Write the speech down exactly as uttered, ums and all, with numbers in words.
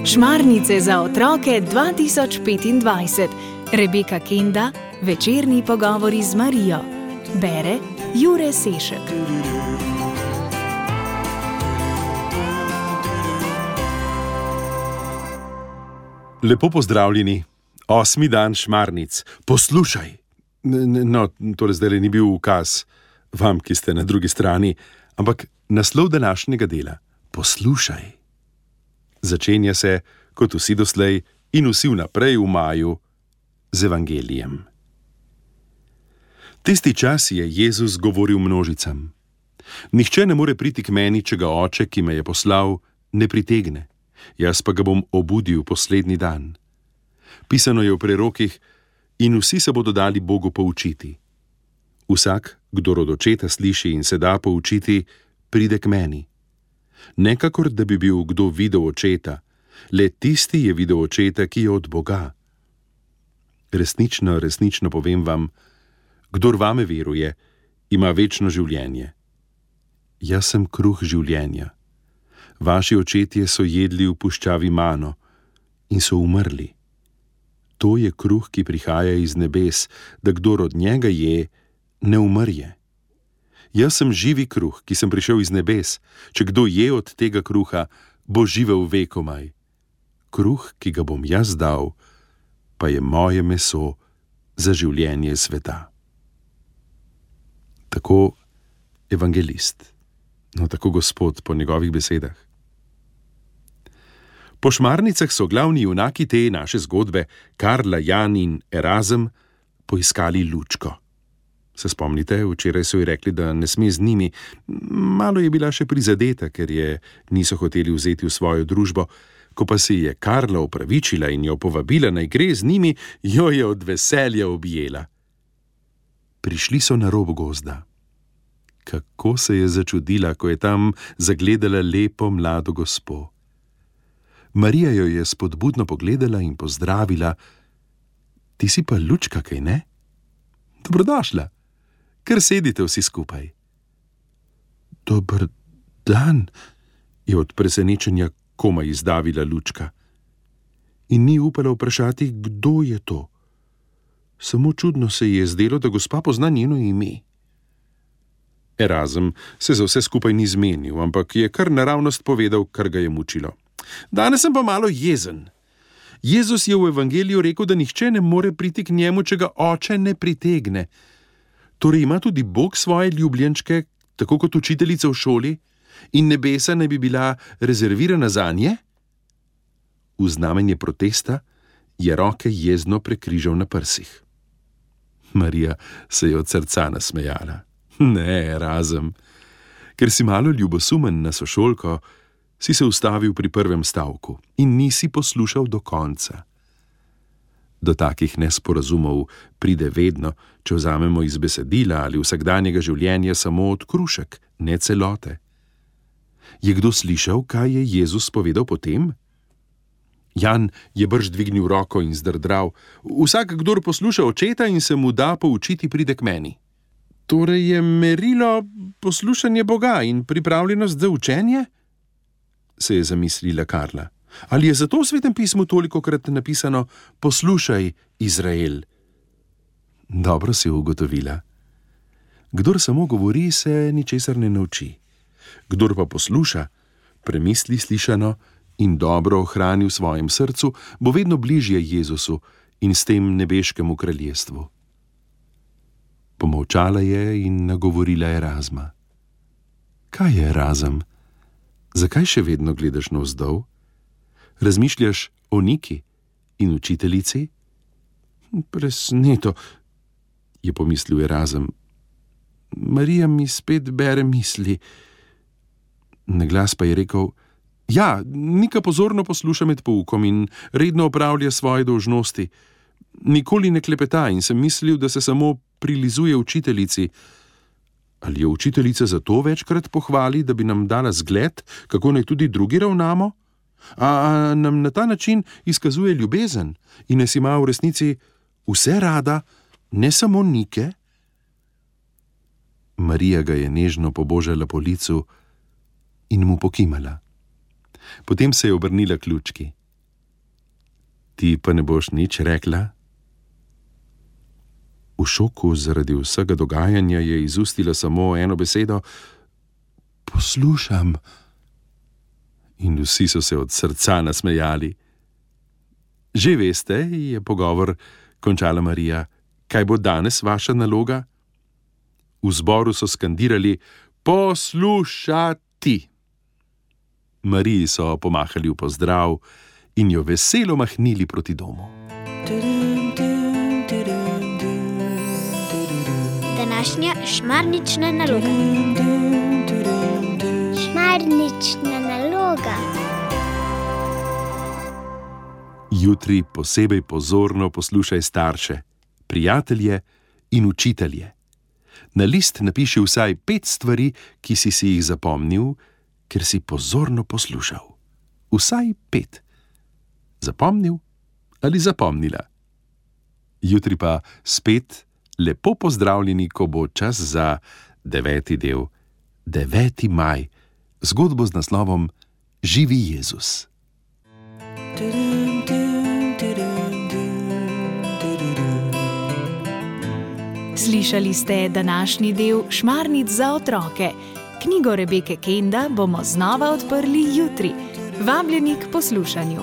Šmarnice za otroke dva tisoč petindvajset. Rebeka Kenda, večerni pogovori z Marijo. Bere Jure Sešek. Lepo pozdravljeni. Osmi dan šmarnic. Poslušaj. No, torej zdaj ni bil ukaz vam, ki ste na drugi strani, ampak naslov današnjega dela. Poslušaj. Začenja se, kot vsi doslej in vsi vnaprej v maju, z evangelijem. Tisti čas je Jezus govoril množicam. Nihče ne more priti k meni, če ga oče, ki me je poslal, ne pritegne. Jaz pa ga bom obudil poslednji dan. Pisano je v prerokih, in vsi se bodo dali Bogu poučiti. Vsak, kdor od očeta sliši in se da poučiti, pride k meni. Nekakor, da bi bil kdo videl očeta, le tisti je videl očeta, ki je od Boga. Resnično, resnično povem vam, kdor vame veruje, ima večno življenje. Jaz sem kruh življenja. Vaši očetje so jedli v puščavi mano in so umrli. To je kruh, ki prihaja iz nebes, da kdor od njega je, ne umrje. Jaz sem živi kruh, ki sem prišel iz nebes. Če kdo je od tega kruha, bo živel vekomaj. Kruh, ki ga bom jaz dal, pa je moje meso za življenje sveta. Tako evangelist, no tako Gospod po njegovih besedah. Po šmarnicah so glavni junaki te naše zgodbe, Karla, Jan in Erazem, poiskali lučko. Se spomnite, včeraj so ji rekli, da ne sme z njimi. Malo je bila še prizadeta, ker je niso hoteli vzeti v svojo družbo. Ko pa se je Karla opravičila in jo povabila, naj gre z njimi, jo je od veselja objela. Prišli so na rob gozda. Kako se je začudila, ko je tam zagledala lepo mlado gospo. Marija jo je spodbudno pogledala in pozdravila. Ti si pa lučka, kaj ne? Dobrodošla. Kar sedite vsi skupaj. Dober dan, je od presenečenja komaj izdavila lučka. In ni upala vprašati, kdo je to. Samo čudno se je zdelo, da gospa pozna njeno ime. Erazem se za vse skupaj ni zmenil, ampak je kar naravnost povedal, kar ga je mučilo. Danes sem pa malo jezen. Jezus je v evangeliju rekel, da nihče ne more priti k njemu, če ga oče ne pritegne. Torej ima tudi Bog svoje ljubljenčke, tako kot učiteljica v šoli, in nebesa ne bi bila rezervirana zanje? V znamenje protesta je roke jezno prekrižal na prsih. Marija se je od srca nasmejala. Ne, Erazem, ker si malo ljubosumen na sošolko, si se ustavil pri prvem stavku in nisi poslušal do konca. Do takih nesporazumov pride vedno, če vzamemo iz besedila ali vsakdanjega življenja samo odkrušek, ne celote. Je kdo slišal, kaj je Jezus povedal potem? Jan je brž dvignil roko in zdrdral. Vsak, kdor posluša očeta in se mu da poučiti, pride k meni. Torej je merilo poslušanje Boga in pripravljenost za učenje? Se je zamislila Karla. Ali je zato v Svetem pismu tolikokrat napisano poslušaj, Izrael? Dobro si ugotovila. Kdor samo govori, se ničesar ne nauči. Kdor pa posluša, premisli slišano in dobro ohrani v svojem srcu, bo vedno bližje Jezusu in s tem nebeškemu kraljestvu. Pomolčala je in nagovorila Erazma. Kaj je, Erazem? Zakaj še vedno gledaš navzdol? Razmišljaš o Niki in učiteljici? Presneto, je pomislil Erazem. Marija mi spet bere misli. Naglas pa je rekel, ja, Nika pozorno posluša med poukom in redno opravlja svoje dolžnosti. Nikoli ne klepeta in sem mislil, da se samo prilizuje učiteljici. Ali jo učiteljica zato večkrat pohvali, da bi nam dala zgled, kako naj tudi drugi ravnamo? A, a nam na ta način izkazuje ljubezen in nas ima v resnici vse rada, ne samo Nike? Marija ga je nežno pobožala po licu in mu pokimala. Potem se je obrnila k lučki. Ti pa ne boš nič rekla? V šoku zaradi vsega dogajanja je izustila samo eno besedo: poslušam. In vsi so se od srca nasmejali. Že veste, je pogovor končala Marija, kaj bo danes vaša naloga? V zboru so skandirali: poslušati. Mariji so pomahali v pozdrav in jo veselo mahnili proti domu. Današnja šmarnična naloga. Šmarnična naloga. Jutri posebej pozorno poslušaj starše, prijatelje in učitelje. Na list napiši vsaj pet stvari, ki si si jih zapomnil, ker si pozorno poslušal. Vsaj pet. Zapomnil ali zapomnila? Jutri pa spet lepo pozdravljeni, ko bo čas za deveti del, deveti maj, zgodbo z naslovom Živi Jezus. Slišali ste današnji del Šmarnic za otroke. Knjigo Rebeke Kenda bomo znova odprli jutri. Vabljeni k poslušanju.